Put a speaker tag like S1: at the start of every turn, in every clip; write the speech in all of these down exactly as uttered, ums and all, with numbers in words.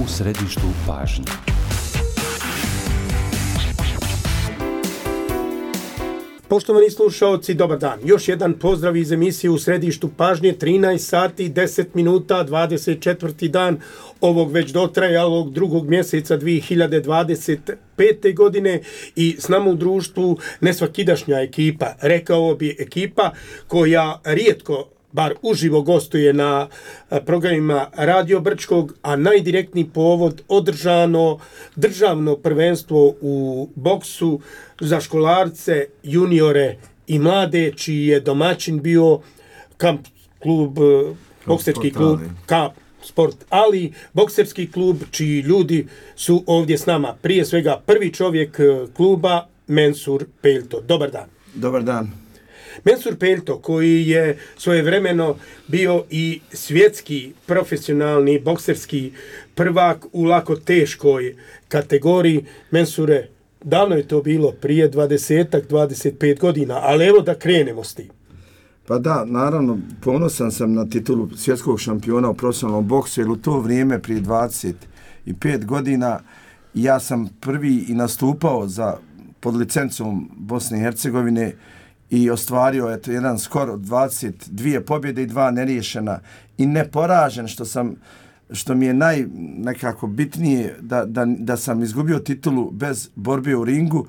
S1: u središtu pažnje.
S2: Poštovani slušaoci, dobar dan. Još jedan pozdrav iz emisije u središtu pažnje, trinaest sati, deset minuta, dvadeset četvrti dan ovog već dotrajalog drugog mjeseca dvije hiljade dvadeset pete. godine i s nama u društvu nesvakidašnja ekipa, rekao bi ekipa koja rijetko bar uživo gostuje na programima Radio Brčkog, a najdirektniji povod održano državno prvenstvo u boksu za školarce, juniore i mlade, čiji je domaćin bio kamp klub, bokserski klub Kamp Sport Ali, bokserski klub čiji ljudi su ovdje s nama. Prije svega prvi čovjek kluba, Mensur Peljto. Dobar dan.
S3: Dobar dan.
S2: Mensur Peljto, koji je svojevremeno bio i svjetski profesionalni bokserski prvak u lako teškoj kategoriji. Mensure, davno je to bilo, prije dvadeset dvadeset pet godina, ali evo da krenemo s tim.
S3: Pa da, naravno, ponosan sam na titulu svjetskog šampiona u profesionalnom boksu, jer u to vrijeme, prije dvadeset pet godina, ja sam prvi i nastupao za, pod licencom Bosne i Hercegovine, i ostvario eto jedan skor od dvadeset dvije pobjede i dva neriješena i neporažen, što sam što mi je naj nekako bitnije da, da, da sam izgubio titulu bez borbe u ringu,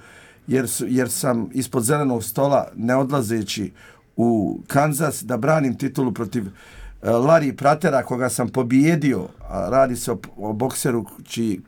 S3: jer, su, jer sam ispod zelenog stola, ne odlazeći u Kanzas, da branim titulu protiv uh, Larry Pratera, koga sam pobijedio, a radi se o, o bokseru či,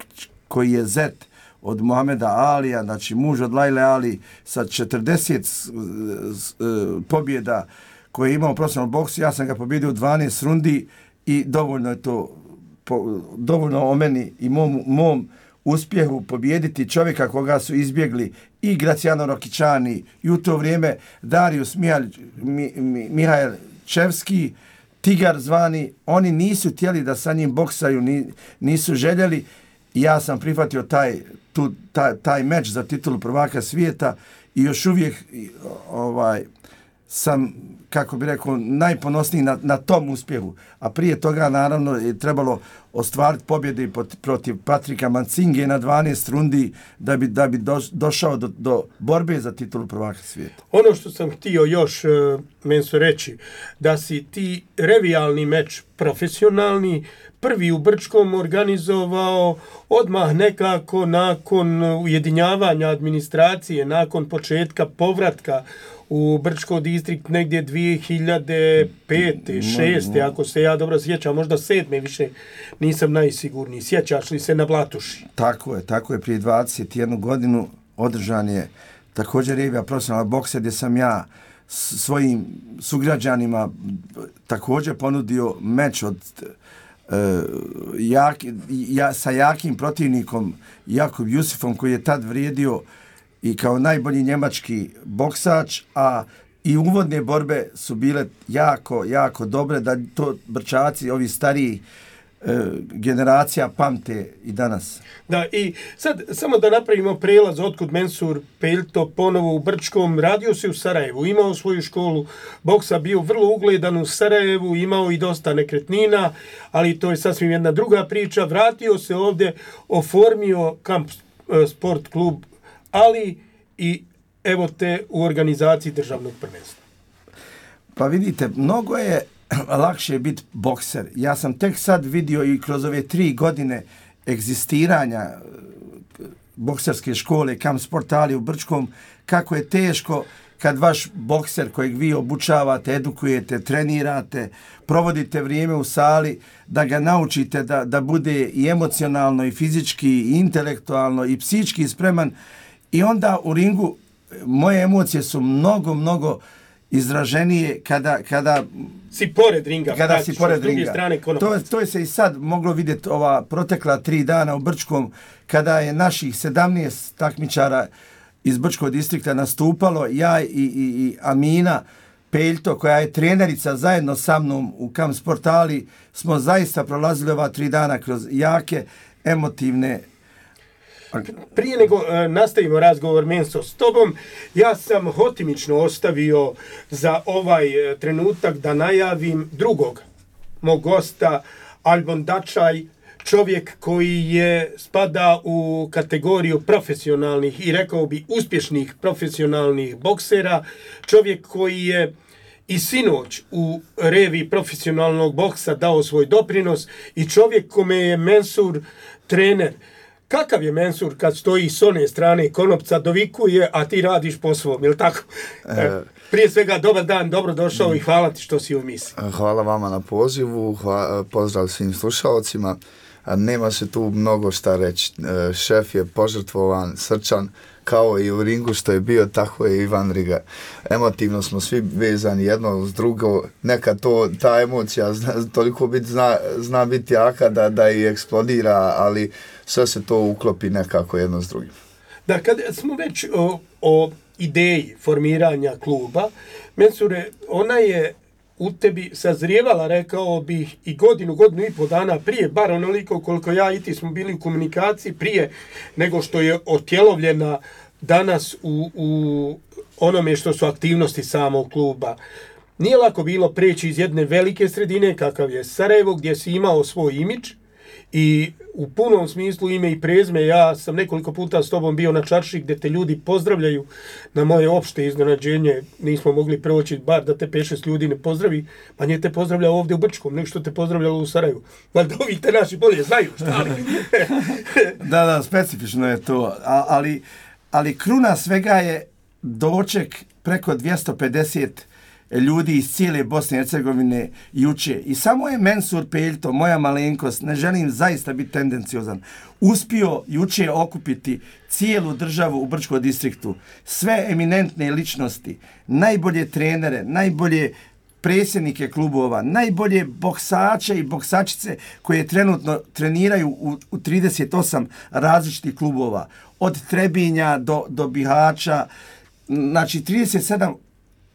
S3: koji je zet od Muhameda Alija, znači muž od Lajle Ali, sa četrdeset uh, pobjeda koje je imao u profesionalnom boksu. Ja sam ga pobjedio u dvanaest rundi i dovoljno je to, po, dovoljno o meni i mom, mom uspjehu pobijediti čovjeka koga su izbjegli i Graciano Rokićani i u to vrijeme Darius Mihalj, Mi, Mi, Mihajl Čevski, Tigar zvani. Oni nisu htjeli da sa njim boksaju, ni, nisu željeli. Ja sam prihvatio taj, tu, taj, taj meč za titulu prvaka svijeta i još uvijek ovaj, sam, kako bi rekao, najponosniji na, na tom uspjehu. A prije toga, naravno, je trebalo ostvariti pobjede protiv Patrika Mancinge na dvanaest rundi da bi, da bi do, došao do, do borbe za titulu prvaka svijeta.
S2: Ono što sam htio još, uh, Menso, reći, da si ti revijalni meč profesionalni prvi u Brčkom organizovao odmah nekako nakon ujedinjavanja administracije, nakon početka povratka u Brčko distrikt negdje dvije hiljade pete, šeste, ako se ja dobro sjećam, možda sedme, više nisam najsigurniji. Sjećaš li se na Blatuši?
S3: Tako je, tako je, prije dvadeset jednu godinu održan je također revija profesionalna boksa, gdje sam ja svojim sugrađanima također ponudio meč od uh, jak, ja, sa jakim protivnikom Jakub Jusifom, koji je tad vrijedio i kao najbolji njemački boksač, a i uvodne borbe su bile jako, jako dobre, da to Brčaci, ovi stariji e, generacija pamte i danas.
S2: Da, i sad samo da napravimo prelaz otkud Mensur Peljto ponovo u Brčkom. Radio se u Sarajevu, imao svoju školu boksa, bio vrlo ugledan u Sarajevu, imao i dosta nekretnina, ali to je sasvim jedna druga priča. Vratio se ovdje, oformio Kamp Sport klub Ali i evo te u organizaciji državnog prvenstva.
S3: Pa vidite, mnogo je lakše biti bokser. Ja sam tek sad vidio i kroz ove tri godine egzistiranja bokserske škole Kamp Sport Ali u Brčkom, kako je teško kad vaš bokser kojeg vi obučavate, edukujete, trenirate, provodite vrijeme u sali, da ga naučite da, da bude i emocionalno, i fizički, i intelektualno, i psihički spreman. I onda u ringu moje emocije su mnogo, mnogo izraženije kada, kada
S2: si pored ringa,
S3: kada si pored
S2: s druge
S3: ringa.
S2: Strane
S3: to, to je se i sad moglo vidjeti ova protekla tri dana u Brčkom, kada je naših sedamnaest takmičara iz Brčkog distrikta nastupalo, ja i, i, i Amina Peljto, koja je trenerica zajedno sa mnom u Kamp Sport Ali, smo zaista prolazili ova tri dana kroz jake, emotivne.
S2: Prije nego uh, nastavimo razgovor, Menso, s tobom, ja sam hotimično ostavio za ovaj uh, trenutak da najavim drugog mog gosta, Albon Dačaj, čovjek koji je spada u kategoriju profesionalnih i rekao bi uspješnih profesionalnih boksera, čovjek koji je i sinoć u revi profesionalnog boksa dao svoj doprinos i čovjek kome je Mensur trener. Kakav je Mensur kad stoji s one strane konopca, dovikuje, a ti radiš po svom, je li tako? E, prije svega, dobar dan, dobro došao i hvala ti što si u misiji.
S1: Hvala vama na pozivu, hvala, pozdrav svim slušalcima. Nema se tu mnogo šta reći. Šef je požrtvovan, srčan, kao i u ringu što je bio, tako je Ivan Riga. Emotivno smo svi vezani jedno uz drugo. Nekad to, ta emocija zna, toliko bit, zna, zna biti jaka da, da i eksplodira, ali sve se to uklopi nekako jedno s drugim.
S2: Da, kad smo već o, o ideji formiranja kluba, Mensure, ona je u tebi sazrijevala, rekao bih, i godinu, godinu i po dana prije, bar onoliko koliko ja i ti smo bili u komunikaciji prije nego što je otjelovljena danas u, u onome što su aktivnosti samog kluba. Nije lako bilo preći iz jedne velike sredine, kakav je Sarajevo, gdje si imao svoj imidž i u punom smislu ime i prezme. Ja sam nekoliko puta s tobom bio na čarši gdje te ljudi pozdravljaju. Na moje opšte iznenađenje nismo mogli proći, bar da te pet šest ljudi ne pozdravi, pa nije te pozdravljao ovdje u Brčkom, nego što te pozdravljalo u Sarajevu. Valjda ovi te naši bolje znaju, šta li?
S3: Da, da, specifično je to, A, ali, ali kruna svega je doček preko dvjesto pedeset ljudi iz cijele Bosne i Hercegovine juče. I samo je Mensur Peljto, moja malenkost, ne želim zaista biti tendenciozan, uspio juče okupiti cijelu državu u Brčkom distriktu, sve eminentne ličnosti, najbolje trenere, najbolje predsjednike klubova, najbolje boksače i boksačice koje trenutno treniraju u, u trideset osam različitih klubova, od Trebinja do, do Bihaća, znači trideset sedam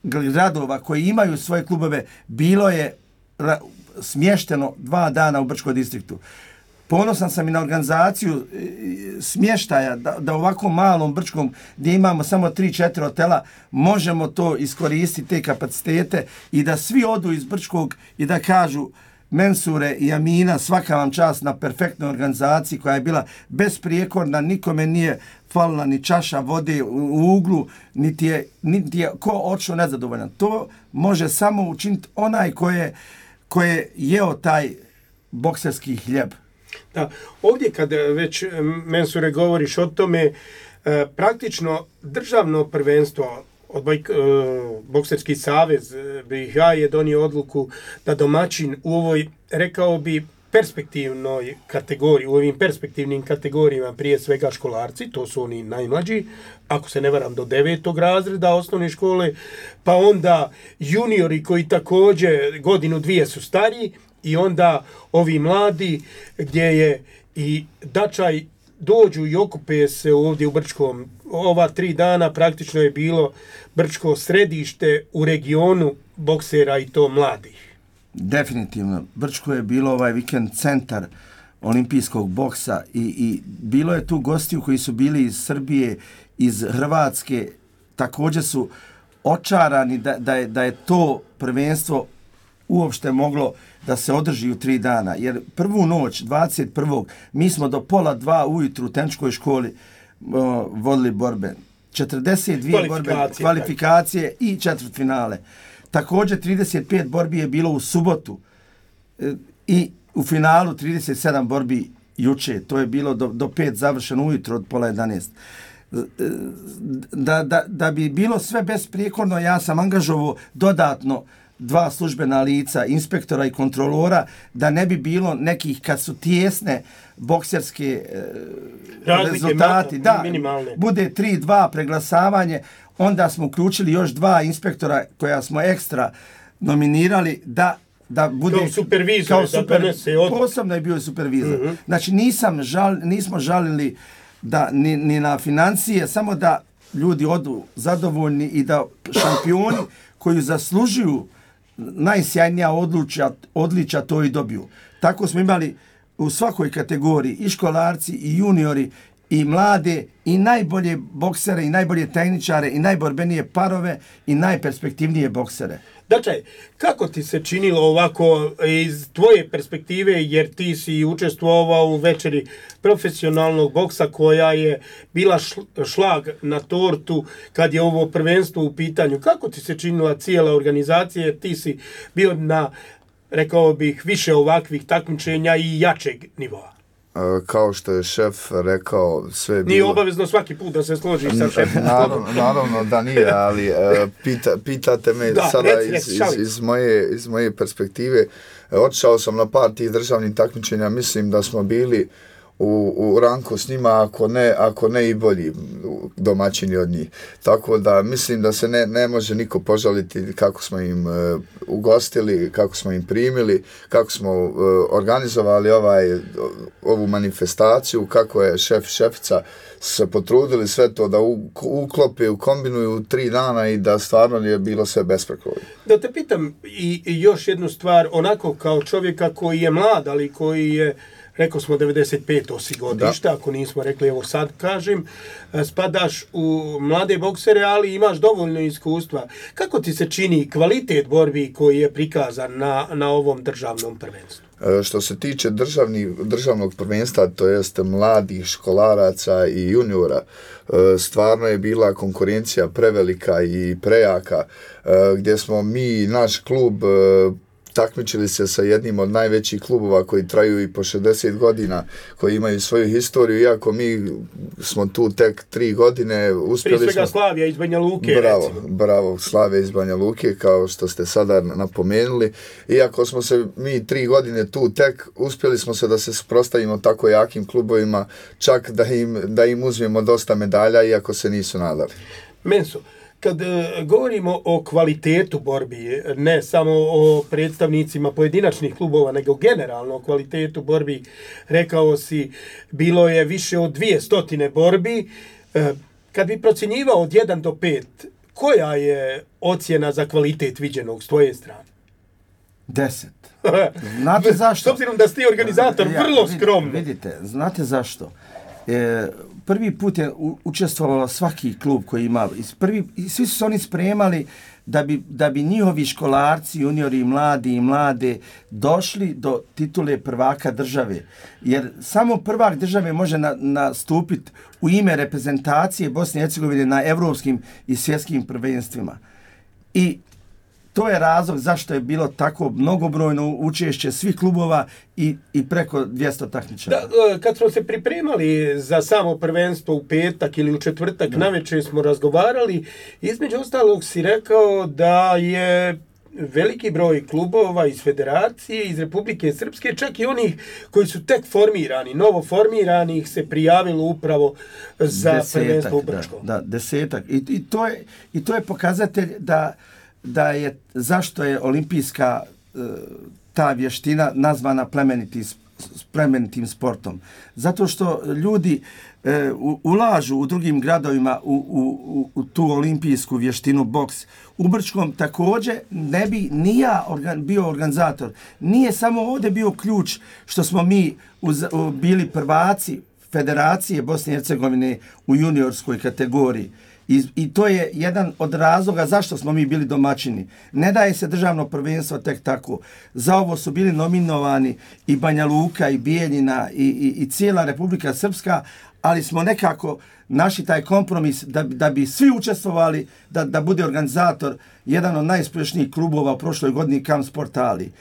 S3: gradova koji imaju svoje klubove bilo je ra- smješteno dva dana u Brčkom distriktu. Ponosan sam i na organizaciju e, smještaja da, da u ovako malom Brčkom gdje imamo samo tri četiri hotela možemo to iskoristiti, te kapacitete i da svi odu iz Brčkog i da kažu Mensure i Amina, svaka vam čast na perfektnoj organizaciji koja je bila besprijekorna, nikome nije falila ni čaša vode u uglu, niti je, niti je ko odšao nezadovoljan. To može samo učiniti onaj ko je, ko je jeo taj bokserski hljeb.
S2: Da, ovdje kad već Mensure govoriš o tome, praktično državno prvenstvo Odbojk, uh, Bokserski savez B i H je donio odluku da domaćin u ovoj, rekao bi, perspektivnoj kategoriji, u ovim perspektivnim kategorijama, prije svega školarci, to su oni najmlađi, ako se ne varam do devetog razreda osnovne škole, pa onda juniori koji također godinu dvije su stariji i onda ovi mladi gdje je i Dačaj dođu i okupe se ovdje u Brčkom. Ova tri dana praktično je bilo Brčko središte u regionu boksera i to mladih.
S3: Definitivno. Brčko je bilo ovaj vikend centar olimpijskog boksa i, i bilo je tu gostiju koji su bili iz Srbije, iz Hrvatske. Također su očarani da, da, je, da je to prvenstvo uopšte moglo da se održi u tri dana. Jer prvu noć, dvadeset prvog mi smo do pola dva ujutru u tenčkoj školi uh, vodili borbe. četrdeset dvije borbe, kvalifikacije tak. I četvrtfinale. Također trideset pet borbi je bilo u subotu e, i u finalu trideset sedam borbi juče. To je bilo do, do pet završeno ujutro od pola jedanaest. Da, da, da bi bilo sve besprijekorno, ja sam angažovao dodatno dva službena lica, inspektora i kontrolora, da ne bi bilo nekih, kad su tijesne bokserske e, rezultati, da,
S2: minimalne.
S3: Bude tri dva preglasavanje, onda smo uključili još dva inspektora koja smo ekstra nominirali da da bude
S2: kao supervizor,
S3: kao super,
S2: da donese od...
S3: posebno je bio supervizor.
S2: Uh-huh.
S3: Znači nisam žal, nismo žalili da ni, ni na financije, samo da ljudi odu zadovoljni i da šampioni koji zaslužuju najsjajnija odličja, odličja to i dobiju. Tako smo imali u svakoj kategoriji i školarci i juniori i mlade i najbolje boksere i najbolje tehničare i najborbenije parove i najperspektivnije boksere.
S2: Dakle, kako ti se činilo ovako iz tvoje perspektive, jer ti si učestvovao u večeri profesionalnog boksa koja je bila šlag na tortu kad je ovo prvenstvo u pitanju. Kako ti se činila cijela organizacija, jer ti si bio na, rekao bih, više ovakvih takmičenja i jačeg nivoa?
S1: Kao što je šef rekao, sve je bilo...
S2: Nije obavezno svaki put da se složiš sa šefom.
S1: Naravno, naravno da nije, ali pita, pitate me da, sada reci, iz, iz, iz, moje, iz moje perspektive. Otišao sam na par tih državnih takmičenja, mislim da smo bili u, u ranku s njima, ako ne, ako ne i bolji domaćini od njih. Tako da mislim da se ne, ne može niko požaliti kako smo im uh, ugostili, kako smo im primili, kako smo uh, organizovali ovaj, ovu manifestaciju, kako je šef šefica se potrudili sve to da u, uklope, ukombinuju tri dana i da stvarno je bilo sve besprekorno.
S2: Da te pitam i, i još jednu stvar, onako kao čovjeka koji je mlad, ali koji je, rekao smo devedeset peto si godišta, ako nismo rekli, evo sad kažem, spadaš u mlade boksere, ali imaš dovoljno iskustva. Kako ti se čini kvalitet borbi koji je prikazan na, na ovom državnom prvenstvu?
S1: Što se tiče državni, državnog prvenstva, to jest mladih školaraca i juniora, stvarno je bila konkurencija prevelika i prejaka, gdje smo mi, naš klub, takmičili se sa jednim od najvećih klubova koji traju i po šezdeset godina, koji imaju svoju historiju, iako mi smo tu tek tri godine uspjeli.
S2: Prije svega
S1: smo...
S2: Slavija iz Banja Luke.
S1: Bravo,
S2: recimo.
S1: bravo, Slavija iz Banja Luke, kao što ste sada napomenuli. Iako smo se mi tri godine tu tek, uspjeli smo se da se suprotstavimo tako jakim klubovima, čak da im, da im uzmemo dosta medalja, iako se nisu nadali.
S2: Menso, kad govorimo o kvalitetu borbi, ne samo o predstavnicima pojedinačnih klubova, nego generalno o kvalitetu borbi, rekao si, bilo je više od dvije stotine borbi. Kad bi procjenjivao od jedan do pet, koja je ocjena za kvalitet viđenog s tvoje strane?
S3: deset. Znate zašto?
S2: S obzirom da ste organizator, ja, vrlo skromno.
S3: Vidite, znate zašto? E, prvi put je u, učestvovalo svaki klub koji ima, prvi, svi su se oni spremali da bi, da bi njihovi školarci, juniori, mladi i mlade došli do titule prvaka države. Jer samo prvak države može na, nastupiti u ime reprezentacije Bosne i Hercegovine na evropskim i svjetskim prvenstvima. I to je razlog zašto je bilo tako mnogobrojno učešće svih klubova i, i preko dvjesto takmičara.
S2: Da, kad smo se pripremali za samo prvenstvo u petak ili u četvrtak, da. Navečer smo razgovarali, između ostalog si rekao da je veliki broj klubova iz Federacije, iz Republike Srpske, čak i onih koji su tek formirani, novo formirani, ih se prijavilo upravo za desetak, prvenstvo u Brčkom.
S3: Da, da, desetak. I, i, to je, I to je pokazatelj da da je, zašto je olimpijska e, ta vještina nazvana plemeniti, plemenitim sportom. Zato što ljudi e, u, ulažu u drugim gradovima u, u, u tu olimpijsku vještinu boks. U Brčkom također ne bi ni ja organ, bio organizator. Nije samo ovdje bio ključ što smo mi uz, u, bili prvaci Federacije Bosne i Hercegovine u juniorskoj kategoriji. I, I to je jedan od razloga zašto smo mi bili domaćini. Ne daje se državno prvenstvo tek tako. Za ovo su bili nominovani i Banja Luka, i Bijeljina, i, i, i cijela Republika Srpska, ali smo nekako našli taj kompromis da, da bi svi učestvovali, da, da bude organizator jedan od najuspješnijih klubova u prošloj godini Kamp Sport Ali.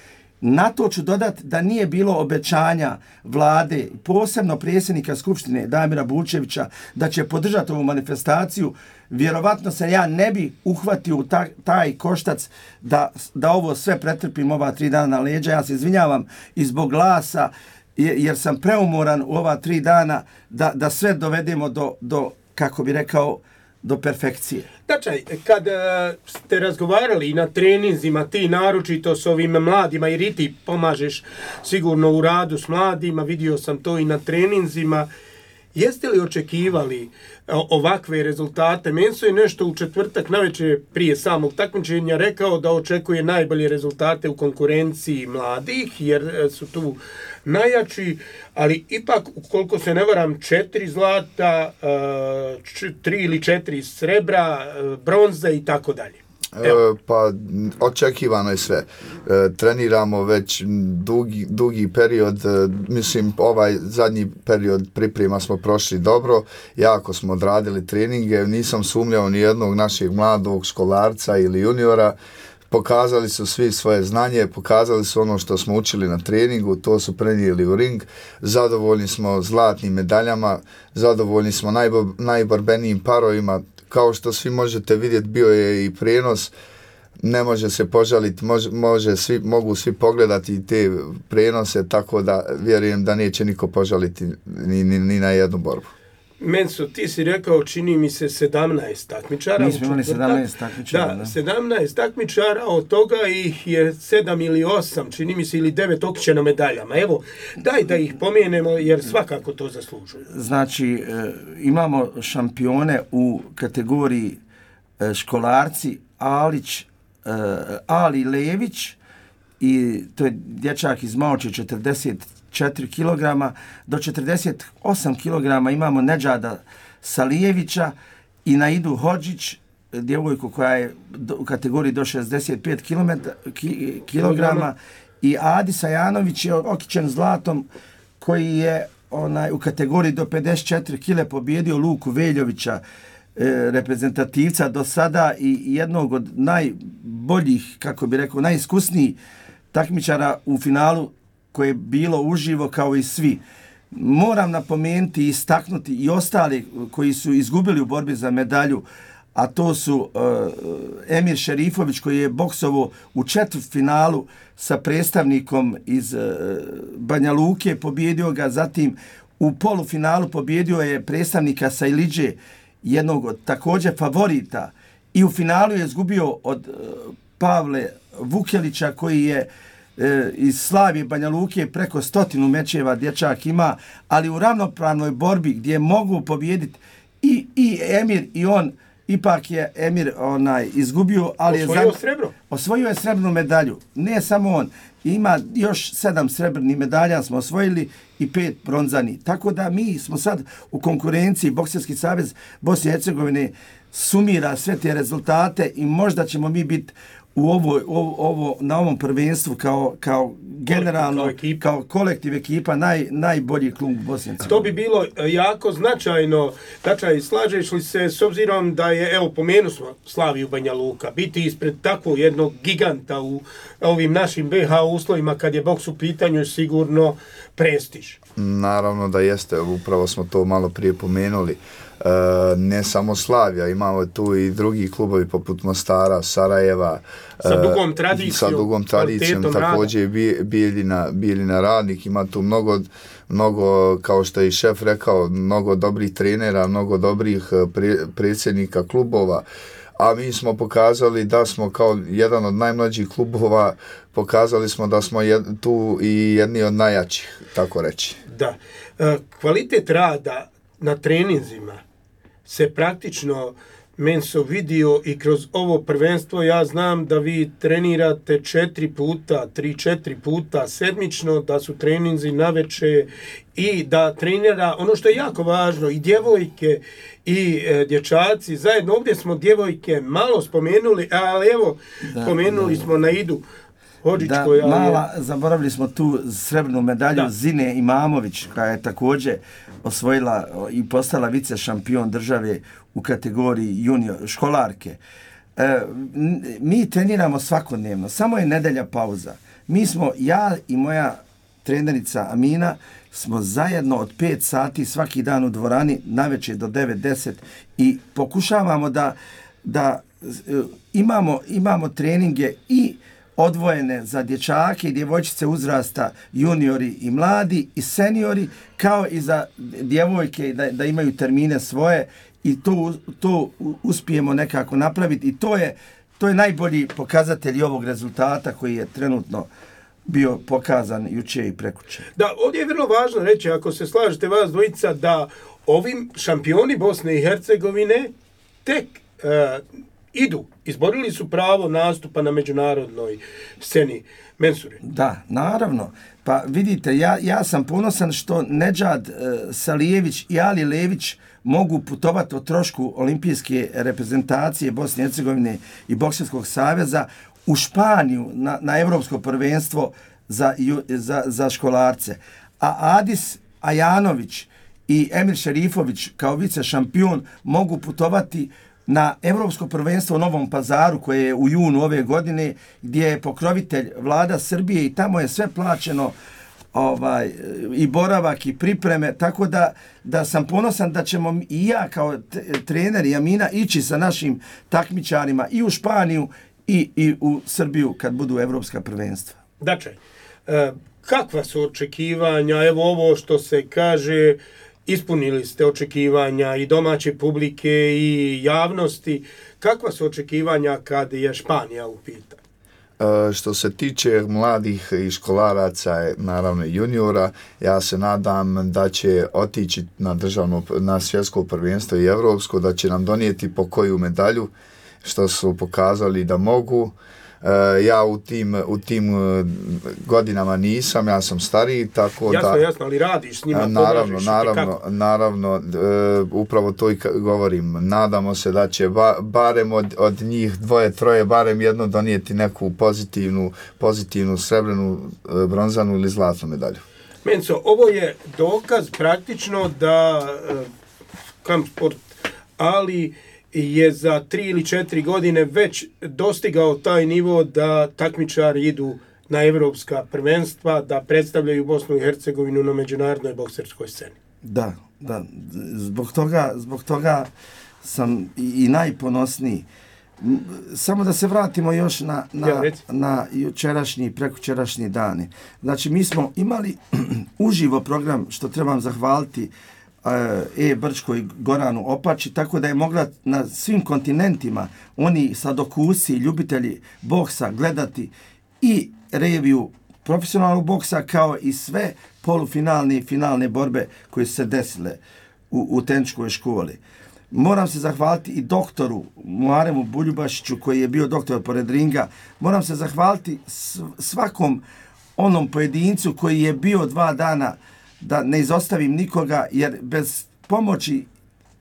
S3: Na to ću dodati da nije bilo obećanja vlade, posebno predsjednika Skupštine Damira Bulčevića, da će podržati ovu manifestaciju. Vjerovatno se ja ne bi uhvatio u ta, taj koštac da, da ovo sve pretrpim ova tri dana na leđa. Ja se izvinjavam i zbog glasa, jer sam preumoran u ova tri dana da, da sve dovedemo do, do, kako bi rekao, do perfekcije.
S2: Znači, kad uh, ste razgovarali i na treninzima, ti naročito s ovim mladima, jer i ti pomažeš sigurno u radu s mladima, vidio sam to i na treninzima, Jeste li očekivali ovakve rezultate? Menso je nešto u četvrtak navečer prije samog takmičenja rekao da očekuje najbolje rezultate u konkurenciji mladih, jer su tu najjači, ali ipak, ukoliko se ne varam, četiri zlata, tri ili četiri srebra, bronze i tako dalje.
S1: E, pa očekivano je sve. E, treniramo već dugi, dugi period, e, mislim ovaj zadnji period priprema smo prošli dobro, jako smo odradili treninge, nisam sumnjao ni jednog našeg mladog školarca ili juniora. Pokazali su svi svoje znanje, pokazali su ono što smo učili na treningu, to su prenijeli u ring. Zadovoljni smo zlatnim medaljama, zadovoljni smo najbo, najborbenijim parovima. Kao što svi možete vidjeti, bio je i prenos, ne može se požaliti, može, može svi, mogu svi pogledati te prenose, tako da vjerujem da neće niko požaliti ni, ni, ni na jednu borbu.
S2: Menso, ti si rekao, čini mi se sedamnaest takmičara.
S3: Mi smo imali sedamnaest takmičara.
S2: Da, sedamnaest takmičara, od toga ih je sedam ili osam, čini mi se, ili devet okićeno medaljama. Evo, daj da ih pomenemo, jer svakako to zaslužuju.
S3: Znači, imamo šampione u kategoriji školarci Alić, Ali Lević, i to je dječak iz Maoče, četrdeset četiri kilograma, do četrdeset osam kilograma imamo Nedžada Salijevića i Naidu Hodžić, djevojku koja je u kategoriji do šezdeset pet kilograma, i Adi Sajanović je okićen zlatom, koji je onaj u kategoriji do pedeset četiri kile pobjedio Luku Veljovića, e, reprezentativca do sada i jednog od najboljih, kako bi rekao, najiskusnijih takmičara u finalu koje je bilo uživo kao i svi. Moram napomenuti i istaknuti i ostali koji su izgubili u borbi za medalju, a to su uh, Emir Šerifović, koji je boksovo u četvrtfinalu sa predstavnikom iz uh, Banja Luke, pobjedio ga, zatim u polufinalu pobjedio je predstavnika Sajliđe, jednog od također favorita, i u finalu je izgubio od uh, Pavle Vukelića, koji je e, iz Slavije Banja Luke preko stotinu mečeva dječak ima, ali u ravnopravnoj borbi gdje mogu pobijediti i, i Emir i on, ipak je Emir onaj izgubio, ali
S2: osvojio
S3: je
S2: srebro.
S3: Osvojio je srebrnu medalju. Ne samo on, ima još sedam srebrnih medalja smo osvojili i pet bronzani. Tako da mi smo sad u konkurenciji, Bokserski savez Bosne i Hercegovine sumira sve te rezultate i možda ćemo mi biti u ovo, ovo, ovo, na ovom prvenstvu kao, kao generalno, kao, kao kolektiv ekipa, naj, najbolji klub Bosne.
S2: To bi bilo jako značajno. Tačaj, slažeš li se s obzirom da je, evo, pomenu smo Slaviju Banja Luka, biti ispred takvog jednog giganta u ovim našim B H uslovima kad je boks u pitanju sigurno prestiž?
S1: Naravno da jeste, upravo smo to malo prije pomenuli. E, ne samo Slavija, imamo tu i drugi klubovi poput Mostara, Sarajeva,
S2: sa dugom tradicijom,
S1: sa dugom tradicijom također Bijeljina, Bijeljina Radnik, ima tu mnogo, mnogo, kao što je i šef rekao, mnogo dobrih trenera, mnogo dobrih pre, predsjednika klubova, a mi smo pokazali da smo kao jedan od najmlađih klubova, pokazali smo da smo jed, tu i jedni od najjačih, tako reći.
S2: Da, e, kvalitet rada na treninzima se praktično Menso vidio i kroz ovo prvenstvo. Ja znam da vi trenirate četiri puta, tri, četiri puta sedmično, da su treninzi naveče i da trenira, ono što je jako važno, i djevojke i e, dječaci zajedno. Ovdje smo djevojke malo spomenuli, ali evo, da, spomenuli da, smo Naidu Hodžić,
S3: da,
S2: koja
S3: mala, je... zaboravili smo tu srebrnu medalju da. Zine Imamović, koja je također osvojila i postala vice šampion države u kategoriji junior školarke. E, mi treniramo svakodnevno, samo je nedelja pauza. Mi smo, ja i moja trenerica Amina, smo zajedno od pet sati svaki dan u dvorani, navečer do devet deset, i pokušavamo da, da imamo, imamo treninge i odvojene za dječake i djevojčice uzrasta, juniori i mladi i seniori, kao i za djevojke da, da imaju termine svoje, i to, to uspijemo nekako napraviti, i to je, to je najbolji pokazatelj ovog rezultata koji je trenutno bio pokazan juče i prekuče.
S2: Da, ovdje je vrlo važno reći, ako se slažete vas dvojica, da ovim šampioni Bosne i Hercegovine tek uh, idu, izborili su pravo nastupa na međunarodnoj sceni. Mensure.
S3: Da, naravno. Pa vidite, ja, ja sam ponosan što Nedžad uh, Salijević i Ali Lević mogu putovati o trošku olimpijske reprezentacije Bosne i Hercegovine i Bokserskog saveza u Španiju na, na evropsko prvenstvo za, za, za školarce. A Adis Ajanović i Emir Šerifović kao vice šampion mogu putovati na evropsko prvenstvo u Novom Pazaru koje je u junu ove godine gdje je pokrovitelj vlada Srbije i tamo je sve plaćeno ovaj, i boravak i pripreme, tako da, da sam ponosan da ćemo i ja kao trener i Amina ići sa našim takmičarima i u Španiju i, i u Srbiju kad budu evropska prvenstva.
S2: Dakle, e, kakva su očekivanja, evo ovo što se kaže, ispunili ste očekivanja i domaće publike i javnosti, kakva su očekivanja kad je Španija u pitanju?
S1: E, što se tiče mladih i školaraca, naravno juniora, ja se nadam da će otići na državno, na svjetsko prvenstvo i evropsko, da će nam donijeti po koju medalju, što su pokazali da mogu. E, ja u tim, u tim godinama nisam, ja sam stariji, tako
S2: jasno,
S1: da...
S2: Jasno, ali radiš s njima,
S1: naravno, naravno, naravno, e, upravo to i govorim. Nadamo se da će ba, barem od, od njih dvoje, troje, barem jedno donijeti neku pozitivnu, pozitivnu srebrnu, bronzanu ili zlatnu medalju.
S2: Menco, ovo je dokaz praktično da e, Kampsport, ali je za tri ili četiri godine već dostigao taj nivo da takmičari idu na evropska prvenstva, da predstavljaju Bosnu i Hercegovinu na međunarodnoj bokserskoj sceni.
S3: Da, da. Zbog toga, zbog toga sam i, i najponosniji. Samo da se vratimo još na, na,
S2: ja,
S3: na jučerašnji, prekučerašnji dani. Znači, mi smo imali uživo program, što trebam zahvaliti E. Brčko i Goranu Opači, tako da je mogla na svim kontinentima oni sadokusi, ljubitelji boksa gledati i reviju profesionalnog boksa kao i sve polufinalne i finalne borbe koje su se desile u, u tehničkoj školi. Moram se zahvaliti i doktoru Muaremu Buljubašiću koji je bio doktor pored ringa. Moram se zahvaliti svakom onom pojedincu koji je bio dva dana, da ne izostavim nikoga, jer bez pomoći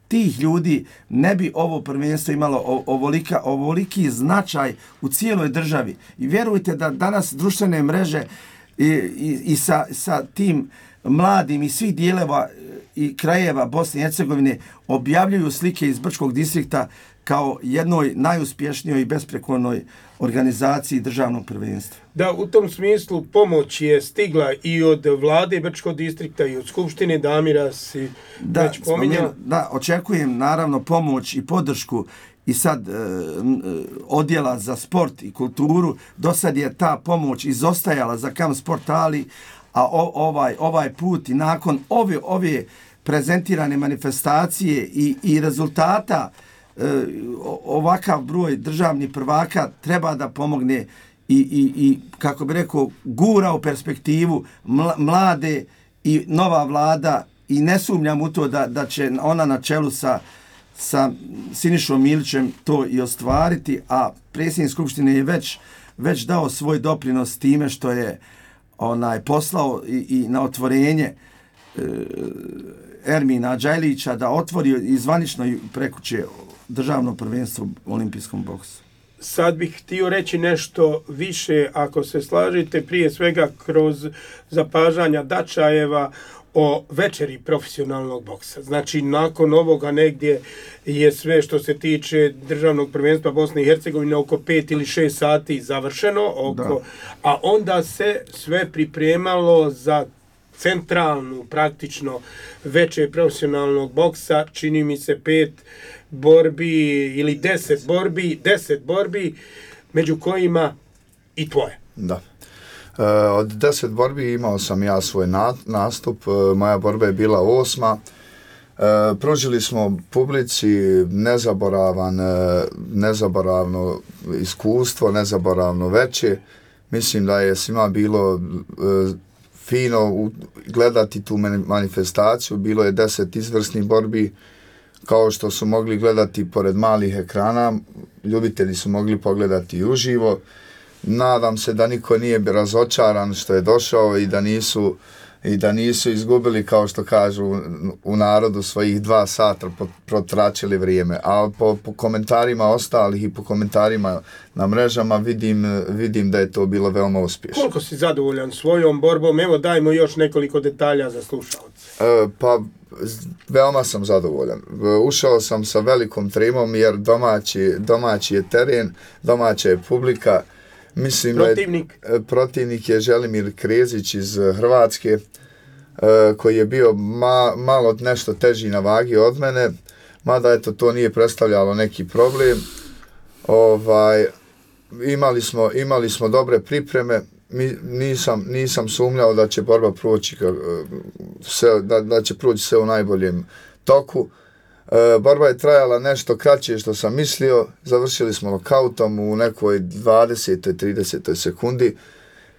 S3: tih ljudi ne bi ovo prvenstvo imalo ovolika, ovoliki značaj u cijeloj državi. I vjerujte da danas društvene mreže i, i, i sa, sa tim mladim i svih dijeleva i krajeva Bosne i Hercegovine objavljuju slike iz Brčkog distrikta kao jednoj najuspješnijoj i besprekornoj organizaciji državnog prvenstva.
S2: Da, u tom smislu pomoć je stigla i od vlade Brčkog distrikta i od Skupštine, Damira si
S3: da,
S2: već pominjao.
S3: Da, očekujem naravno pomoć i podršku i sad e, odjela za sport i kulturu. Do sad je ta pomoć izostajala za Kampsport, ali a o, ovaj, ovaj put i nakon ove, ove prezentirane manifestacije i, i rezultata e, ovakav broj državnih prvaka treba da pomogne i, i, i kako bi rekao, gura u perspektivu mlade i nova vlada i ne sumnjam u to da, da će ona na čelu sa, sa Sinišom Milićem to i ostvariti, a predsjednik Skupštine je već, već dao svoj doprinos time što je onaj poslao i, i na otvorenje e, Ermina Đajlića da otvori i zvanično prekuće državno prvenstvo u olimpijskom boksu.
S2: Sad bih htio reći nešto više, ako se slažete, prije svega kroz zapažanja Dačajeva o večeri profesionalnog boksa. Znači, nakon ovoga negdje je sve što se tiče državnog prvenstva Bosne i Hercegovine oko pet ili šest sati završeno, oko, a onda se sve pripremalo za centralnu, praktično, večer profesionalnog boksa, čini mi se pet borbi ili deset borbi, deset borbi, među kojima i tvoje.
S1: Da. E, od deset borbi imao sam ja svoj na, nastup, e, moja borba je bila osma. E, pružili smo publici nezaboravan, e, nezaboravno iskustvo, nezaboravno veće. mislim da je svima bilo e, fino u, gledati tu manifestaciju, bilo je deset izvrsnih borbi, kao što su mogli gledati pored malih ekrana, ljubitelji su mogli pogledati i uživo. Nadam se da niko nije razočaran što je došao i da nisu i da nisu izgubili, kao što kažu u, u narodu, svojih dva sata protračili vrijeme. A po, po komentarima ostalih i po komentarima na mrežama vidim, vidim da je to bilo veoma uspješno.
S2: Koliko si zadovoljan svojom borbom? Evo dajmo još nekoliko detalja za slušalce.
S1: E, pa veoma sam zadovoljan. Ušao sam sa velikom trimom jer domaći, domaći je teren, domaća je publika. Mislim
S2: protivnik.
S1: Da je, protivnik je Želimir Krezić iz Hrvatske, koji je bio ma, malo nešto teži na vagi od mene, mada eto to nije predstavljalo neki problem. Ovaj, imali smo, imali smo dobre pripreme, Mi, nisam, nisam sumnjao da će borba proći, sve, da, da će proći sve u najboljem toku. E, borba je trajala nešto kraće što sam mislio, završili smo nokautom u nekoj dvadesetoj tridesetoj sekundi,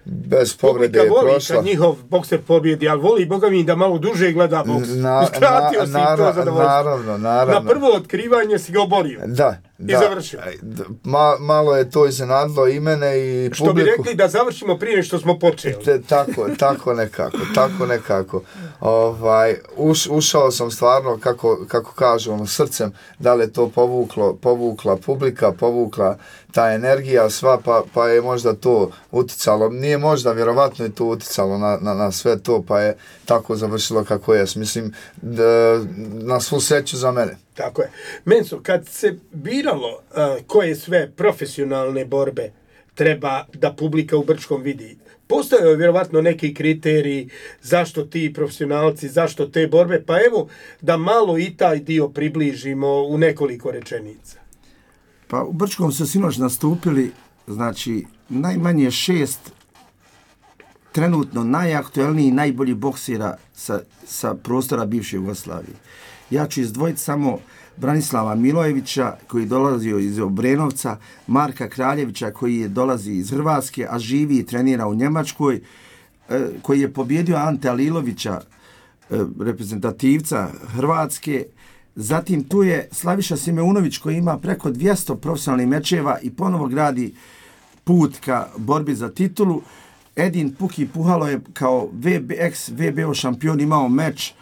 S1: bez povrede je prošla.
S2: Publika voli kad njihov bokser pobjedi, ali voli, boga mi, da malo duže gleda boks. Na, Iskratio na, si nara, to zadovoljstvo.
S1: Naravno, naravno.
S2: Na prvo otkrivanje si ga oborio.
S1: Da, da.
S2: I završio.
S1: Ma, malo je to iznenadilo i mene i
S2: što
S1: publiku.
S2: Što bi rekli da završimo prije nego što smo počeli.
S1: Te, tako, tako nekako, tako nekako. Ovaj, uš, ušao sam stvarno, kako, kako kažu, ono, srcem, da li je to povuklo, povukla publika, povukla ta energija sva, pa, pa je možda to uticalo. Nije možda, vjerovatno je to uticalo na, na, na sve to, pa je tako završilo kako je. Mislim, da, na svu sreću za mene.
S2: Tako je. Menso, kad se biralo uh, koje sve profesionalne borbe treba da publika u Brčkom vidi, postoje je vjerovatno neki kriteriji zašto ti profesionalci, zašto te borbe, pa evo da malo i taj dio približimo u nekoliko rečenica.
S3: Pa u Brčkom su sinoć nastupili, znači, najmanje šest trenutno najaktuelniji i najbolji boksira sa, sa prostora bivše Jugoslavije. Ja ću izdvojiti samo Branislava Milojevića, koji dolazio iz Obrenovca, Marka Kraljevića, koji je dolazi iz Hrvatske, a živi i trenira u Njemačkoj, koji je pobjedio Ante Alilovića, reprezentativca Hrvatske. Zatim tu je Slaviša Simeunović, koji ima preko dvjesto profesionalnih mečeva i ponovo gradi put ka borbi za titulu. Edin Puki Puhalo je kao V B, ex-V B O šampion imao meč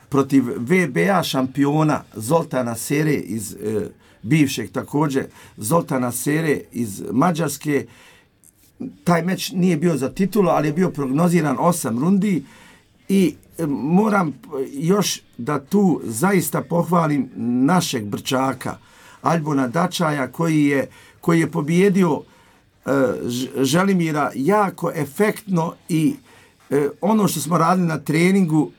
S3: protiv V B A šampiona Zoltana Sere iz e, bivšeg također Zoltana Sere iz Mađarske. Taj meč nije bio za titulu, ali je bio prognoziran osam rundi i e, moram još da tu zaista pohvalim našeg Brčaka Albona Dačaja, koji je, koji je pobjedio e, Želimira jako efektno i e, ono što smo radili na treningu,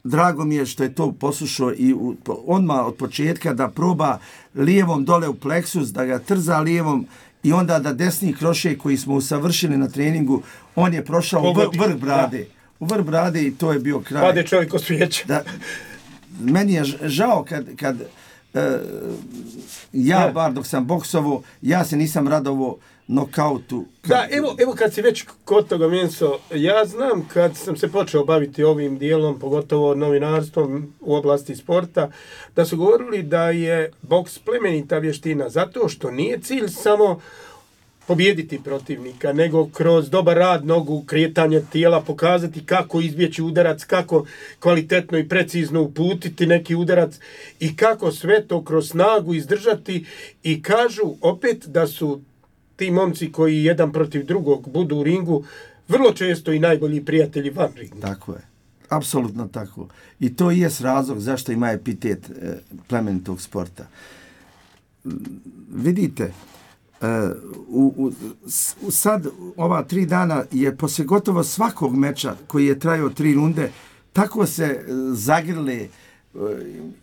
S3: drago mi je što je to poslušao i u, odmah od početka da proba lijevom dole u pleksus, da ga trza lijevom i onda da desni krošej koji smo usavršili na treningu, on je prošao u vr, vrh brade. Da. U vrh brade i to je bio kraj.
S2: Pade čovjek od svijeća. Da,
S3: meni je žao kad, kad uh, ja
S2: ne.
S3: bar dok sam boksovo, ja se nisam radovo nokautu. Kad...
S2: Da, evo, evo kad si već kod toga, Menso, ja znam kad sam se počeo baviti ovim dijelom, pogotovo novinarstvom u oblasti sporta, da su govorili da je boks plemenita vještina, zato što nije cilj samo pobijediti protivnika, nego kroz dobar rad nogu, kretanje tijela, pokazati kako izbjeći udarac, kako kvalitetno i precizno uputiti neki udarac i kako sve to kroz snagu izdržati. I kažu opet da su ti momci koji jedan protiv drugog budu u ringu vrlo često i najbolji prijatelji van ringa.
S3: Tako je. Apsolutno tako. I to je razlog zašto ima epitet e, plemenitog sporta. Vidite, Uh, u, u, u sad ova tri dana je poslije gotovo svakog meča koji je trajao tri runde, tako se uh, zagrle uh,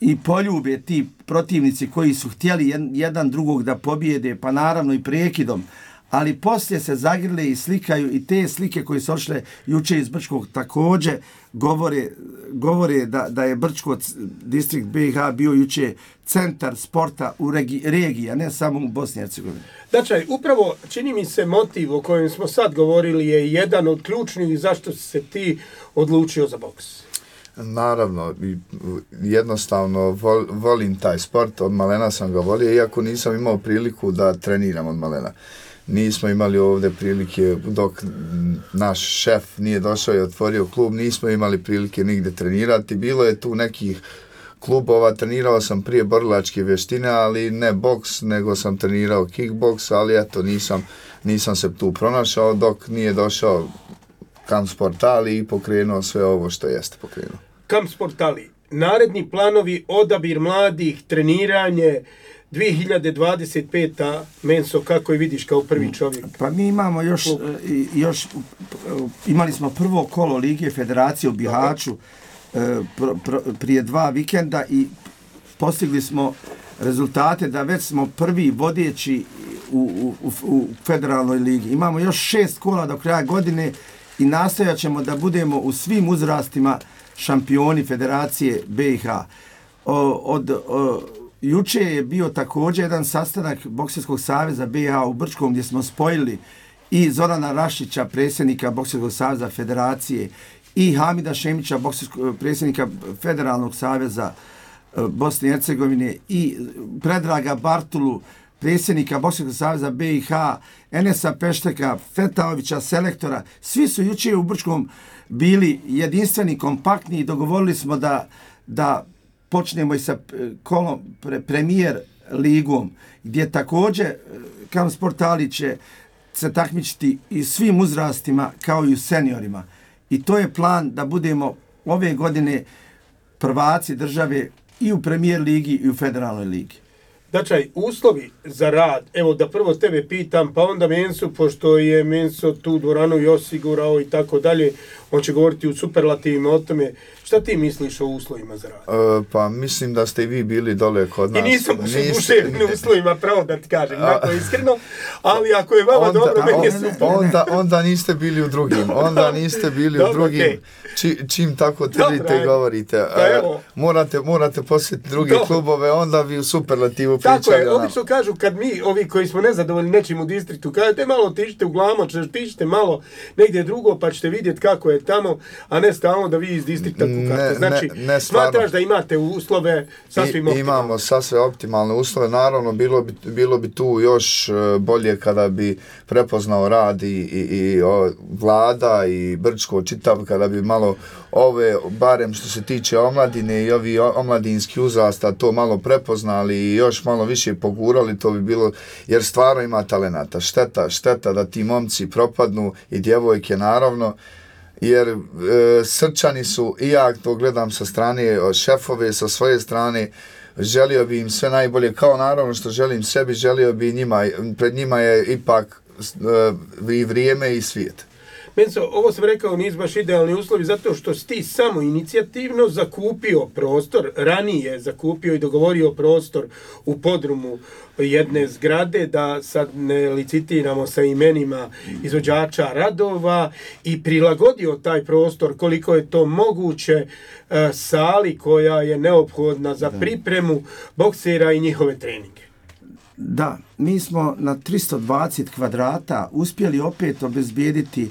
S3: i poljube ti protivnici koji su htjeli jed, jedan drugog da pobijede, pa naravno i prekidom, ali poslije se zagrle i slikaju i te slike koje su odšle juče iz Brčkog također govore, govore da, da je Brčko distrikt B i H bio juče centar sporta u regi, regiji, a ne samo u Bosni i Hercegovini.
S2: Znači, upravo čini mi se motiv o kojem smo sad govorili je jedan od ključnih zašto si se ti odlučio za boks.
S1: Naravno, jednostavno vol, volim taj sport, od malena sam ga volio, iako nisam imao priliku da treniram od malena. Nismo imali ovdje prilike, dok naš šef nije došao i otvorio klub, nismo imali prilike nigde trenirati. Bilo je tu nekih klubova, trenirao sam prije borilačke vještine, ali ne boks, nego sam trenirao kickboks, ali eto, nisam, nisam se tu pronašao dok nije došao Kamp Sportali i pokrenuo sve ovo što jeste pokrenuo.
S2: Kamp Sportali, naredni planovi, odabir mladih, treniranje, dvije hiljade dvadeset peta Menso, kako je vidiš kao prvi čovjek?
S3: Pa mi imamo još, još imali smo prvo kolo Lige Federacije u Bihaću pr, pr, prije dva vikenda i postigli smo rezultate da već smo prvi vodeći u, u, u federalnoj ligi. Imamo još šest kola do kraja godine i nastojat ćemo da budemo u svim uzrastima šampioni Federacije B i H. O, od, o, juče je bio također jedan sastanak Bokserskog saveza B i H u Brčkom gdje smo spojili i Zorana Rašića, predsjednika Bokserskog saveza Federacije, i Hamida Šemića, predsjednika Federalnog saveza Bosne i Hercegovine, i Predraga Bartulu, predsjednika Bokserskog saveza B i H, Enesa Pešteka, Fetaovića, selektora. Svi su juče u Brčkom bili jedinstveni, kompaktni i dogovorili smo da, da počnemo i sa kolom pre, premijer ligom, gdje također Kamp Sportali će se takmičiti i svim uzrastima kao i u seniorima. I to je plan da budemo ove godine prvaci države i u premijer ligi i u federalnoj ligi.
S2: Znači, uslovi za rad, evo da prvo tebe pitam, pa onda Mensu, pošto je Menso tu dvoranu i osigurao i tako dalje, on će govoriti u superlativima o tome. Šta ti misliš o uslovima za rad?
S1: E, pa mislim da ste i vi bili dole kod nas.
S2: I nisam baš u duševnim uslovima, pravo da ti kažem, tako iskreno, ali ako je vama
S1: onda,
S2: dobro, meni je
S1: onda,
S2: super.
S1: Onda, onda niste bili u drugim, onda niste bili
S2: dobro,
S1: u drugim,
S2: okay.
S1: Či, čim tako tvrdite i govorite.
S2: Pa
S1: e,
S2: evo.
S1: morate, morate posjetiti druge dobro. klubove, onda vi u superlativu
S2: pričali. Tako je,
S1: nam.
S2: obično kažu kad mi, ovi koji smo nezadovoljni nečim u distriktu, kažete malo otišite u Glamoč, otišite malo negdje drugo pa ćete vidjeti kako je tamo, a ne stalno da vi iz distrikta kukate. Znači,
S1: ne, ne
S2: smatraš da imate uslove sasvim
S1: I,
S2: optimalne?
S1: Imamo sasvim optimalne uslove. Naravno, bilo bi, bilo bi tu još bolje kada bi prepoznao rad i, i, i o, vlada i Brčko čitav, kada bi malo ove, barem što se tiče omladine i ovi omladinski uzrasta, to malo prepoznali i još malo više pogurali, to bi bilo, jer stvarno ima talenata. Šteta, šteta da ti momci propadnu i djevojke naravno, jer e, Srčani su, i ja to gledam sa strane šefove, sa svoje strane, želio bi im sve najbolje, kao naravno što želim sebi, želio bi njima, pred njima je ipak e, i vrijeme i svijet.
S2: Menso, ovo sam rekao, nisu baš idealni uslovi zato što si ti samo inicijativno zakupio prostor, ranije zakupio i dogovorio prostor u podrumu jedne zgrade, da sad ne licitiramo sa imenima izvođača radova, i prilagodio taj prostor koliko je to moguće e, sali koja je neophodna za pripremu boksera i njihove treninge.
S3: Da, mi smo na tristo dvadeset kvadrata uspjeli opet obezbijediti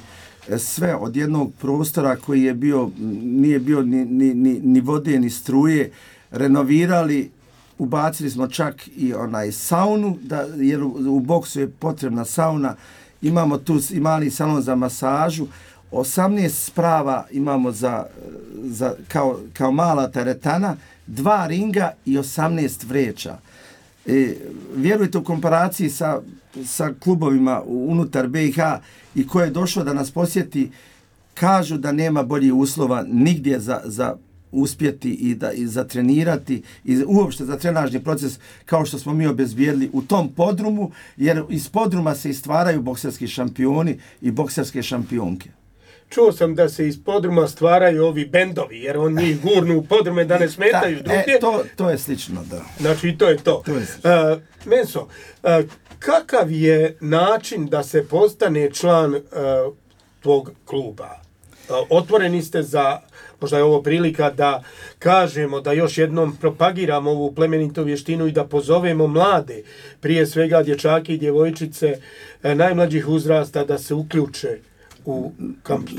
S3: sve od jednog prostora koji je bio, nije bio ni, ni, ni, ni vode, ni struje, renovirali, ubacili smo čak i onaj saunu, da, jer u, u boksu je potrebna sauna, imamo tu i mali salon za masažu, osamnaest sprava imamo za, za, kao, kao mala teretana, dva ringa i osamnaest vreća. E, vjerujte, u komparaciji sa, sa klubovima unutar B i H i ko je došao da nas posjeti, kažu da nema boljih uslova nigdje za, za uspjeti i, da, i za trenirati i uopšte za trenažni proces kao što smo mi obezbijedili u tom podrumu, jer iz podruma se istvaraju bokserski šampioni i bokserske šampionke.
S2: čuo sam da se iz podruma stvaraju ovi bendovi, jer on njih gurnu u podrume da ne smetaju
S3: da,
S2: drugdje.
S3: E, to, to je slično, da.
S2: Znači, to je to.
S3: to je
S2: uh, Menso, uh, kakav je način da se postane član uh, tvog kluba? Uh, otvoreni ste za, možda je ovo prilika da kažemo, da još jednom propagiramo ovu plemenitu vještinu i da pozovemo mlade, prije svega dječake i djevojčice uh, najmlađih uzrasta da se uključe u kamp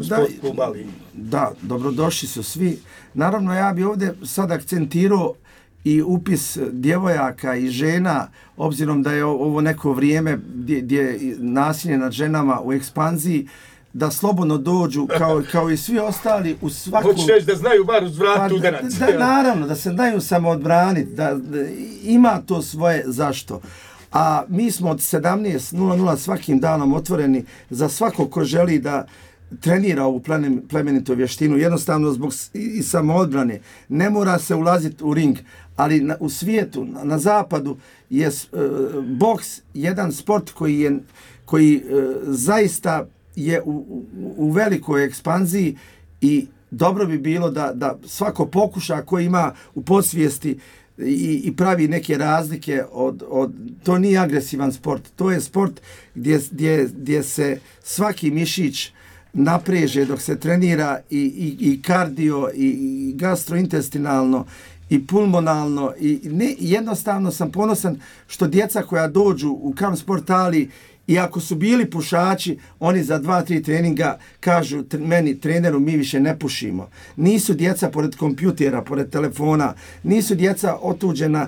S2: sport klub Ali.
S3: Da, dobrodošli su svi. Naravno, ja bi ovdje sad akcentirao i upis djevojaka i žena, obzirom da je ovo neko vrijeme gdje, gdje je nasilje nad ženama u ekspanziji, da slobodno dođu kao, kao i svi ostali u svaku...
S2: Hoćeš reći da znaju bar uz vrat udarac.
S3: Da, da, naravno, da se znaju samo odbraniti, da, da ima to svoje zašto. A mi smo od sedamnaest nula nula svakim danom otvoreni za svako ko želi da trenira ovu plemenitu vještinu, jednostavno zbog i samoodbrane. Ne mora se ulaziti u ring, ali na, u svijetu, na, na zapadu je uh, boks jedan sport koji je koji uh, zaista je u, u, u velikoj ekspanziji i dobro bi bilo da, da svako pokuša koji ima u podsvijesti i, i pravi neke razlike od, od... To nije agresivan sport, to je sport gdje, gdje, gdje se svaki mišić napreže dok se trenira i, i, i kardio i, i gastrointestinalno i pulmonalno i ne, jednostavno sam ponosan što djeca koja dođu u Kamp Sport Ali, i ako su bili pušači, oni za dva, tri treninga kažu meni, treneru, mi više ne pušimo. Nisu djeca pored kompjutera, pored telefona, nisu djeca otuđena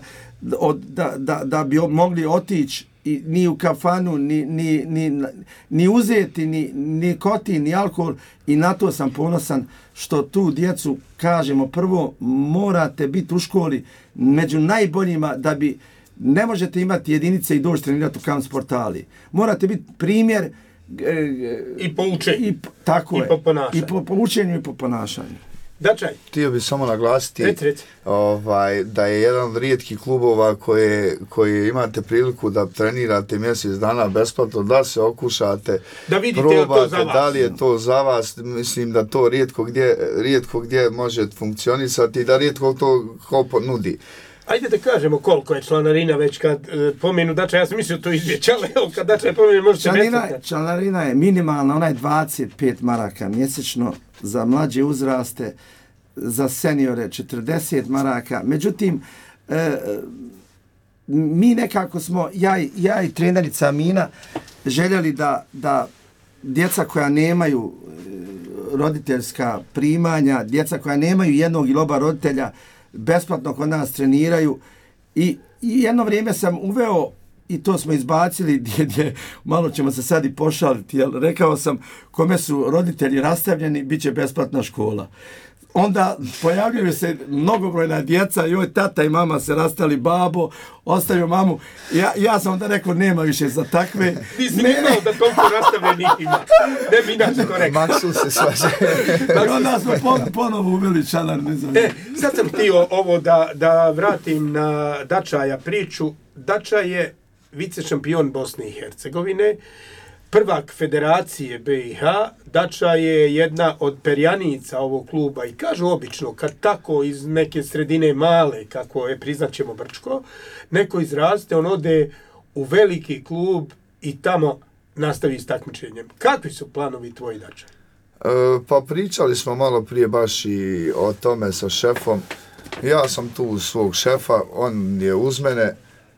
S3: od, da, da, da bi mogli otići i ni u kafanu, ni, ni, ni, ni uzeti, ni, ni kotin, ni alkohol, i na to sam ponosan što tu djecu, kažemo, prvo morate biti u školi među najboljima da bi... Ne možete imati jedinice i doći trenirati u Kamp Sport Ali. Morate biti primjer
S2: e, i po učenju.
S3: I, tako
S2: I
S3: je.
S2: po ponašanju.
S3: I po, po učenju i po ponašanju.
S2: Dačaj.
S1: Htio bih samo naglasiti
S2: rec, rec.
S1: Ovaj, da je jedan od rijetkih klubova koje, koje imate priliku da trenirate mjesec dana besplatno, da se okušate,
S2: da vidite
S1: probate,
S2: to za vas.
S1: Da li je to za vas. Mislim da to rijetko gdje, rijetko gdje može funkcionisati i da rijetko to ko nudi.
S2: Ajde da kažemo koliko je članarina već kad e, pomenu Dača, ja sam mislio to izvjeć, ali evo kad Dača je pomenu možete besplatno.
S3: Članarina je minimalna, ona je dvadeset pet maraka mjesečno za mlađe uzraste, za seniore četrdeset maraka. Međutim, e, mi nekako smo, ja, ja i trenerica Mina, željeli da, da djeca koja nemaju roditeljska primanja, djeca koja nemaju jednog ili oba roditelja, besplatno kod nas treniraju i, i jedno vrijeme sam uveo, i to smo izbacili, gdje, gdje malo ćemo se sad i pošaliti, jer rekao sam kome su roditelji rastavljeni, bit će besplatna škola. Onda pojavljaju se mnogobrojna djeca, joj, tata i mama se rastali, babo, ostavio mamu. Ja, ja sam onda rekao, nema više za takve.
S2: Ti si ne imao da toliko rastavljenih ima. Ne bi inače to rekao.
S1: Maksu se svađe.
S3: I onda smo pon, ponovo uveli članar, ne znam.
S2: E, sad sam htio ovo da, da vratim na Dačaja priču. Dača je vice šampion Bosne i Hercegovine, prvak Federacije B i H. Dača je jedna od perjanica ovog kluba i kažu obično kad tako iz neke sredine male, kako je priznaćemo Brčko, neko izraste, on ode u veliki klub i tamo nastavi s takmičenjem. Kakvi su planovi tvoji, Dača?
S1: E, pa pričali smo malo prije baš i o tome sa šefom. Ja sam tu uz svog šefa, on je uz mene.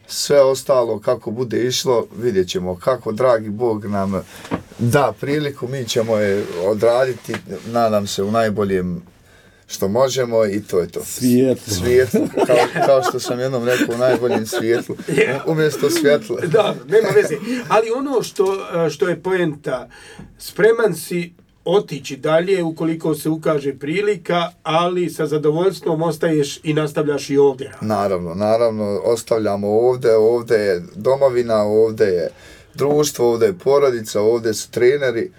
S1: Sve ostalo kako bude išlo, vidjet ćemo kako dragi Bog nam da priliku, mi ćemo je odraditi, nadam se u najboljem što možemo i to je to.
S3: Svijetlo.
S1: Svijetlo, kao, kao što sam jednom rekao, u najboljem svijetlu, umjesto svjetla.
S2: Da, nema veze. Ali ono što, što je poenta, spreman si otići dalje ukoliko se ukaže prilika, ali sa zadovoljstvom ostaješ i nastavljaš i ovdje.
S1: Naravno, naravno, ostavljamo ovdje, ovdje je domovina, ovdje je društvo, ovdje je porodica, ovdje su treneri.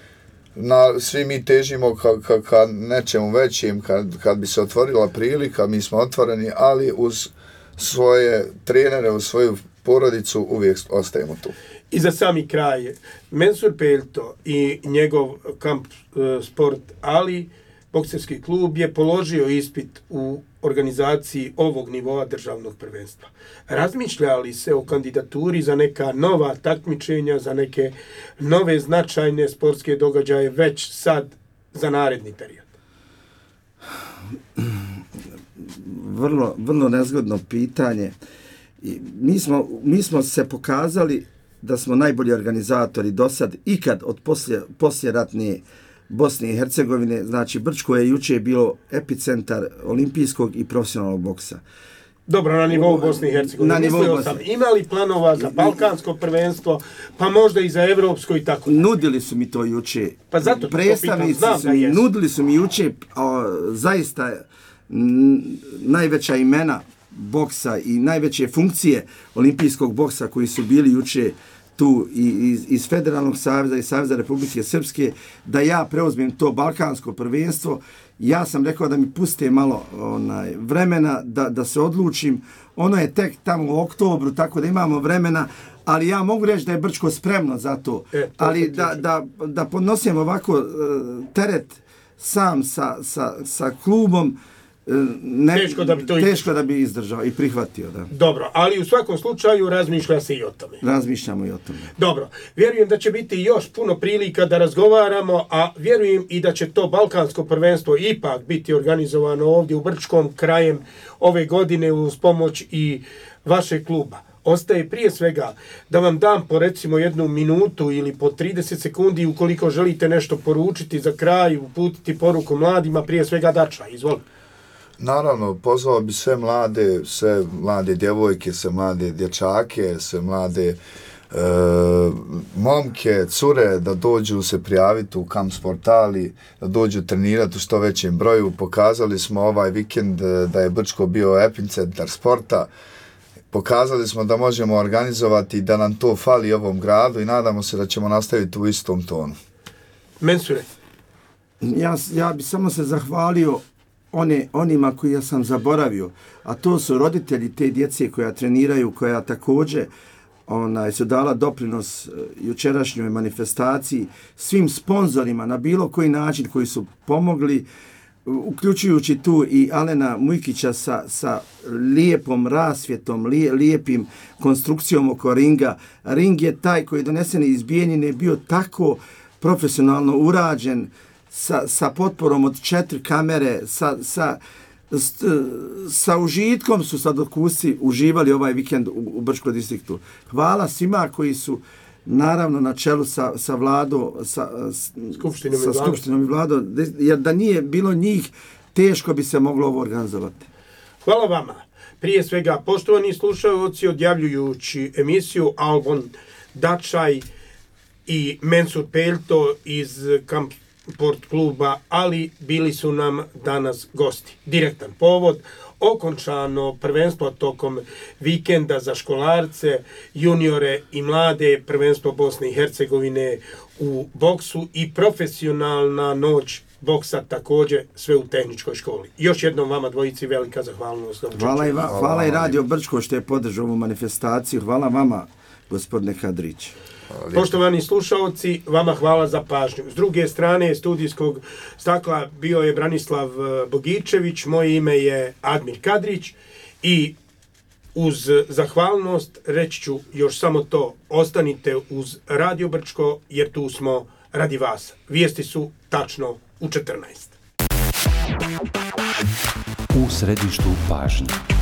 S1: Na, svi mi težimo ka, ka, ka nečemu većim, kad, kad bi se otvorila prilika, mi smo otvoreni, ali uz svoje trenere, uz svoju porodicu uvijek ostajemo tu.
S2: I za sami kraj, Mensur Peljto i njegov kamp e, sport Ali, bokserski klub je položio ispit u organizaciji ovog nivoa državnog prvenstva. Razmišlja li se o kandidaturi za neka nova takmičenja, za neke nove značajne sportske događaje već sad za naredni period?
S3: Vrlo, vrlo nezgodno pitanje. I mi smo, mi smo se pokazali da smo najbolji organizatori do sad ikad od poslije, posljeratne Bosne i Hercegovine. Znači, Brčko je juče bilo epicentar olimpijskog i profesionalnog boksa.
S2: Dobro, na nivou Bosne i Hercegovine.
S3: Na nivou
S2: Mislio
S3: Bosne.
S2: sam, imali planova za balkansko prvenstvo, pa možda i za evropsko i tako.
S3: Nudili su mi to juče.
S2: Pa zato to
S3: predstavnici
S2: pitam, znam
S3: su
S2: da
S3: mi,
S2: jesu.
S3: nudili su mi juče o, zaista n, najveća imena boksa i najveće funkcije olimpijskog boksa koji su bili juče tu iz, iz Federalnog saveza i Saveza Republike Srpske, da ja preuzmem to balkansko prvenstvo. Ja sam rekao da mi puste malo onaj, vremena da, da se odlučim. Ono je tek tamo u oktobru, tako da imamo vremena, ali ja mogu reći da je Brčko spremno za to.
S2: E, to
S3: ali da, da, da podnosim ovako uh, teret sam sa, sa, sa klubom, Ne,
S2: teško da bi to
S3: teško da bi izdržao i prihvatio, da.
S2: Dobro, ali u svakom slučaju razmišlja se i o tome.
S3: Razmišljamo i o tome.
S2: Dobro, vjerujem da će biti još puno prilika da razgovaramo, a vjerujem i da će to balkansko prvenstvo ipak biti organizovano ovdje u Brčkom krajem ove godine uz pomoć i vašeg kluba. Ostaje prije svega da vam dam po recimo jednu minutu ili po trideset sekundi ukoliko želite nešto poručiti za kraj, uputiti poruku mladima, prije svega Dača, izvolite.
S1: Naravno, pozvao bi sve mlade, sve mlade djevojke, sve mlade dječake, sve mlade e, momke, cure da dođu se prijaviti u kamp sportali, da dođu trenirati u što većem broju. Pokazali smo ovaj vikend da je Brčko bio epicentar sporta. Pokazali smo da možemo organizovati i da nam to fali ovom gradu i nadamo se da ćemo nastaviti u istom tonu.
S2: Mensure.
S3: Ja, ja bi samo se zahvalio one, onima koji ja sam zaboravio, a to su roditelji te djece koja treniraju, koja također onaj, su dala doprinos jučerašnjoj manifestaciji, svim sponzorima na bilo koji način koji su pomogli, uključujući tu i Alena Mujkića sa, sa lijepom rasvjetom, lije, lijepim konstrukcijom oko ringa. Ring je taj koji je donesen iz Bijeljine bio tako profesionalno urađen, sa, sa potporom od četiri kamere, sa, sa, s, sa užitkom su sadokusi uživali ovaj vikend u, u Brčkom distriktu. Hvala svima koji su naravno na čelu sa, sa vlado, sa,
S2: Skupštinom,
S3: sa
S2: i
S3: skupštinom i vlado, jer da nije bilo njih, teško bi se moglo ovo organizovati.
S2: Hvala vama. Prije svega, poštovani slušalci, odjavljujući emisiju Albon Dačaj i Mensur Peljto iz kamp sport kluba, ali bili su nam danas gosti. Direktan povod, okončano prvenstvo tokom vikenda za školarce, juniore i mlade, prvenstvo Bosne i Hercegovine u boksu i profesionalna noć boksa također, sve u tehničkoj školi. Još jednom vama dvojici velika zahvalnost.
S3: Hvala i, va, hvala i Radio Brčko što je podržao ovu manifestaciju. Hvala vama, gospodine Kadrić.
S2: Poštovani slušalci, vama hvala za pažnju. S druge strane studijskog stakla bio je Branislav Bogičević, moje ime je Admir Kadrić i uz zahvalnost reći ću još samo to, ostanite uz Radio Brčko jer tu smo radi vas. Vijesti su tačno u četrnaest.
S4: U središtu pažnje.